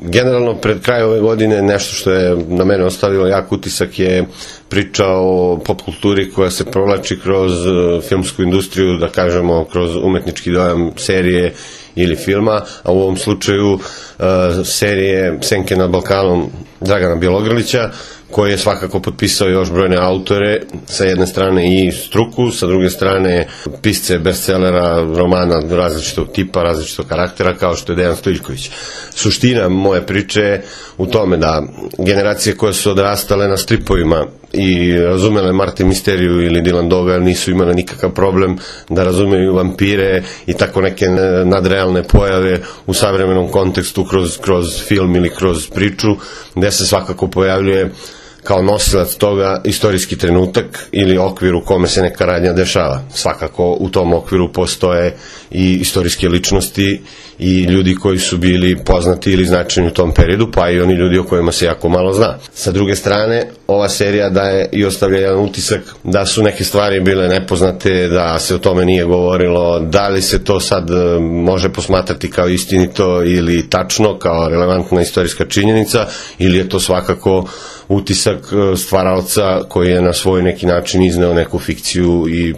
Generalno, pred kraj ove godine nešto što je na mene ostavilo jak utisak je priča o pop kulturi koja se provlači kroz filmsku industriju, da kažemo kroz umetnički dojam serije ili filma, a u ovom slučaju serije Senke nad Balkanom Dragana Bjelogrlića, koji je svakako potpisao još brojne autore, sa jedne strane i struku, sa druge strane pisce bestsellera, romana različitog tipa, različitog karaktera, kao što je Dejan Stojiljković. Suština moje priče je u tome da generacije koje su odrastale na stripovima i razumele Marte Misteriju ili Dylan Doga nisu imale nikakav problem da razumeju vampire i tako neke nadrealne pojave u savremenom kontekstu kroz film ili kroz priču, gde se svakako pojavljuje kao nosilac toga istorijski trenutak ili okvir u kome se neka radnja dešava. Svakako u tom okviru postoje i istorijske ličnosti i ljudi koji su bili poznati ili značajni u tom periodu, pa i oni ljudi o kojima se jako malo zna. Sa druge strane, ova serija daje i ostavlja jedan utisak da su neke stvari bile nepoznate, da se o tome nije govorilo, da li se to sad može posmatrati kao istinito ili tačno, kao relevantna istorijska činjenica, ili je to svakako utisak stvaraoca koji je na svoj neki način izneo neku fikciju i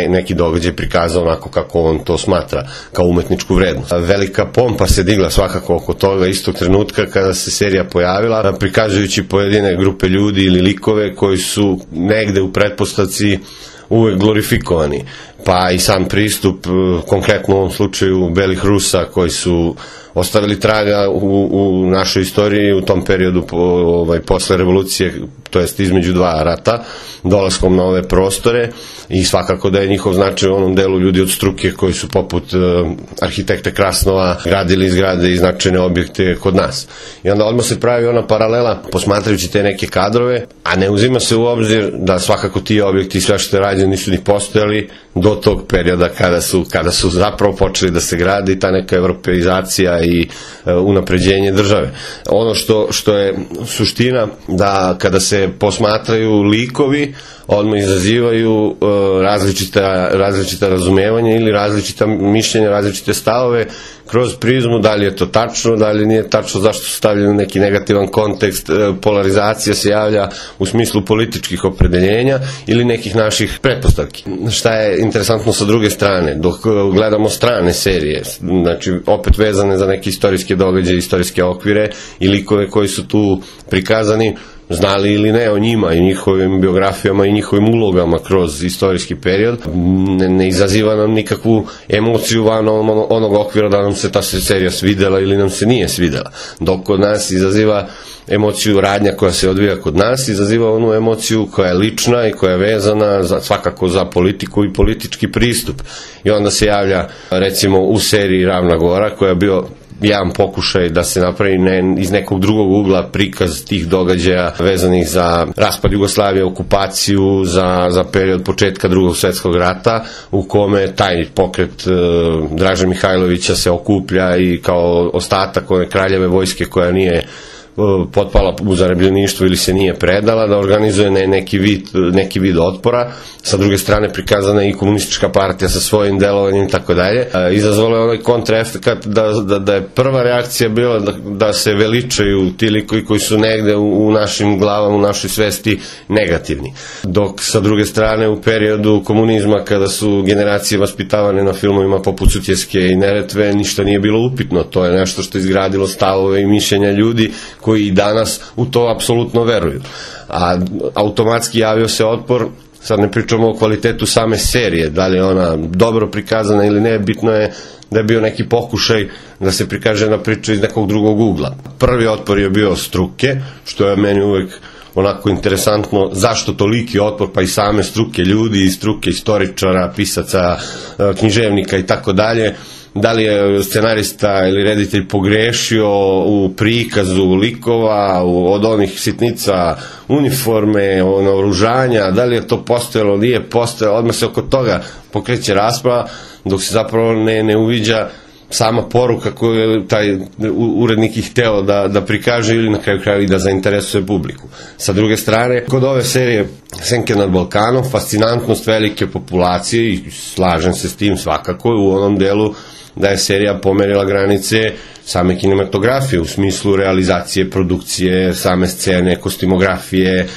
neki događaj prikazao onako kako on to smatra, kao umetničku vrednost. Velika pompa se digla svakako oko toga istog trenutka kada se serija pojavila, prikazujući pojedine grupe ljudi ili likove koji su negde u pretpostavci uvek glorifikovani. Pa i sam pristup, konkretno u ovom slučaju belih Rusa, koji su ostavili traga u našoj istoriji u tom periodu posle revolucije, to jest između dva rata, dolaskom na ove prostore, i svakako da je njihov značaj u onom delu ljudi od struke koji su poput arhitekte Krasnova gradili zgrade i značajne objekte kod nas. I onda odmah se pravi ona paralela posmatrajući te neke kadrove, a ne uzima se u obzir da svakako ti objekti i sve što je rađeno nisu ni postojali do tog perioda kada su zapravo počeli da se gradi i ta neka evropeizacija i unapređenje države. Ono što je suština, da kada se posmatraju likovi, odmah izazivaju različita razumevanja ili različita mišljenja, različite stavove kroz prizmu, da li je to tačno, da li nije tačno, zašto su stavljeni u neki negativan kontekst, polarizacija se javlja u smislu političkih opredeljenja ili nekih naših pretpostavki. Šta je interesantno sa druge strane, dok gledamo strane serije, znači opet vezane za neke istorijske događaje, istorijske okvire i likove koji su tu prikazani, znali ili ne o njima i njihovim biografijama i njihovim ulogama kroz istorijski period, ne izaziva nam nikakvu emociju van onog okvira da nam se ta serija svidela ili nam se nije svidela. Dok kod nas izaziva emociju radnja koja se odvija kod nas, izaziva onu emociju koja je lična i koja je vezana svakako za politiku i politički pristup. I onda se javlja recimo u seriji Ravna Gora, koja je bio jedan pokušaj da se napravi iz nekog drugog ugla prikaz tih događaja vezanih za raspad Jugoslavije, okupaciju, za period početka Drugog svetskog rata, u kome taj pokret Draže Mihajlovića se okuplja i kao ostatak one kraljeve vojske koja nije potpala u zarobljeništvo ili se nije predala, da organizuje neki vid otpora. Sa druge strane prikazana je i komunistička partija sa svojim delovanjem i tako dalje. Izazvalo je onaj kontraefekat da je prva reakcija bila da se veličaju ti likovi koji su negde u našim glavama, u našoj svesti negativni. Dok sa druge strane u periodu komunizma, kada su generacije vaspitavane na filmovima poput Sutjeske i Neretve, ništa nije bilo upitno. To je nešto što je izgradilo stavove i mišljenja ljudi koji i danas u to apsolutno veruju. A automatski javio se otpor, sad ne pričamo o kvalitetu same serije, da li je ona dobro prikazana ili ne, bitno je da je bio neki pokušaj da se prikaže na priču iz nekog drugog ugla. Prvi otpor je bio struke, što je meni uvek onako interesantno, zašto toliki otpor, pa i same struke ljudi, i struke istoričara, pisaca, književnika i tako dalje. Da li je scenarista ili reditelj pogrešio u prikazu likova, od onih sitnica uniforme, naoružanja, da li je to postojalo, nije postojalo, odmah se oko toga pokreće rasprava, dok se zapravo ne uviđa sama poruka koju je taj urednik ih hteo da prikaže ili na kraju kraju i da zainteresuje publiku. Sa druge strane, kod ove serije Senke nad Balkanom, fascinantnost velike populacije, i slažem se s tim svakako, u onom delu da je serija pomerila granice same kinematografije u smislu realizacije, produkcije, same scene, kostimografije,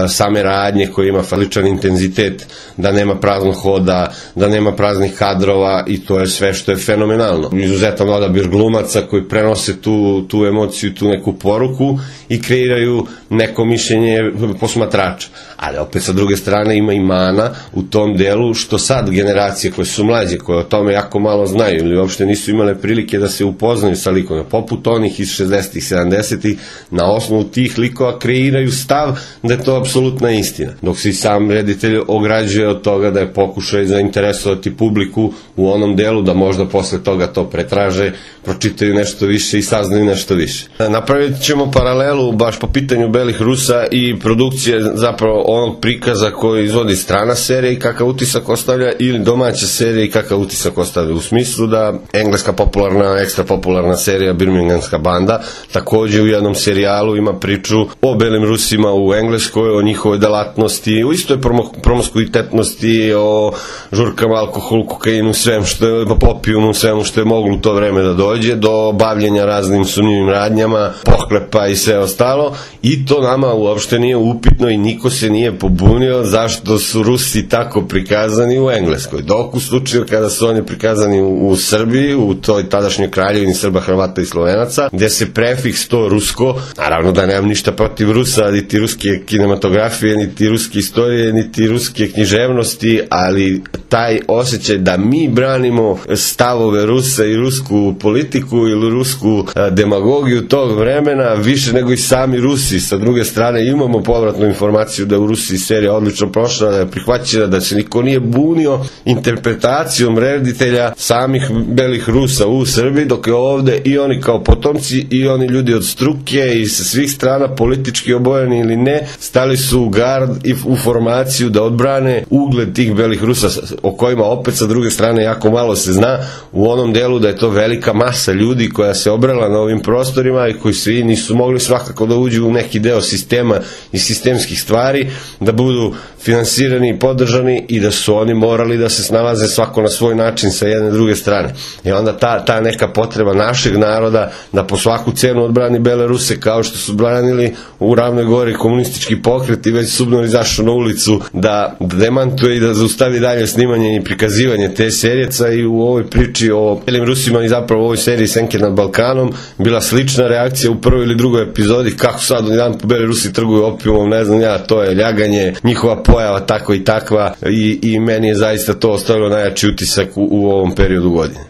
same radnje koje ima faličan intenzitet, da nema praznog hoda, da nema praznih kadrova i to je sve što je fenomenalno. Izuzetan odabir glumaca koji prenose tu emociju, tu neku poruku i kreiraju neko mišljenje posmatrača. Ali opet sa druge strane ima i mana u tom delu što sad generacije koje su mlađe, koje o tome jako malo znaju ili uopšte nisu imale prilike da se upoznaju sa likovima, poput onih iz 60-ih, 70-ih, na osnovu tih likova kreiraju stav da je to apsolutna istina. Dok se i sam reditelj ograđuje od toga da je pokušaj zainteresovati publiku u onom delu da možda posle toga to pretraže, pročitaju nešto više i saznaju nešto više. Napravit ćemo paralelu baš po pitanju Belih Rusa i produkcije zapravo onog prikaza koji izvodi strana serija i kakav utisak ostavlja ili domaća serija i kakav utisak ostavlja. U smislu da engleska popularna, ekstra popularna serija Birminghamska banda takođe u jednom serijalu ima priču o Belim Rusima u Engleskoj, o njihovoj delatnosti, u istoj promiskuitetnosti, o žurkama, alkoholu, kokainu, svem što je, opijumu, svemu što je moglo u to vreme da dođe, do bavljenja raznim sumnjivim radnjama, pohlepa i sve ostalo, i to nama uopšte nije upitno i niko se nije pobunio zašto su Rusi tako prikazani u Engleskoj. Dok u slučaju kada su oni prikazani u Srbiji, u toj tadašnjoj kraljevini Srba, Hrvata i Slovenaca, gde se prefiks to rusko, naravno da nemam ništa protiv Rusa, niti ruske kinematografije, niti ruske istorije, niti ruske književnosti, ali taj osjećaj da mi branimo stavove Rusa i rusku politiku ili rusku demagogiju tog vremena više nego i sami Rusi. Sa druge strane imamo povratnu informaciju da u Rusiji serija odlično prošla, da je prihvaćena, da se niko nije bunio interpretacijom reditelja samih Belih Rusa u Srbiji, dok je ovde i oni kao potomci i oni ljudi od struke i sa svih strana politički obojeni ili ne, stali su u gard i u formaciju da odbrane ugled tih Belih Rusa, o kojima opet sa druge strane jako malo se zna, u onom delu da je to velika masa ljudi koja se obrala na ovim prostorima i koji svi nisu mogli svakako da uđu u neki deo sistema i sistemskih stvari, da budu finansirani i podržani i da su oni morali da se snalaze svako na svoj način sa jedne druge strane. I onda ta neka potreba našeg naroda da po svaku cenu odbrani Bele Ruse, kao što su branili u Ravnoj Gori komunistički pokret i već Subnor izašao na ulicu da demantuje i da zaustavi dalje snimanje i prikazivanje te serijeca, i u ovoj priči o Belim Rusima i zapravo u ovoj seriji Senke nad Balkanom bila slična reakcija u prvoj ili drugoj epizodi, kako sad jedan po Beli Rusi trguju opijumom, ne znam ja, to je ljaganje, njihova pojava tako i takva, i meni je zaista to ostavilo najjači utisak u ovom periodu godine.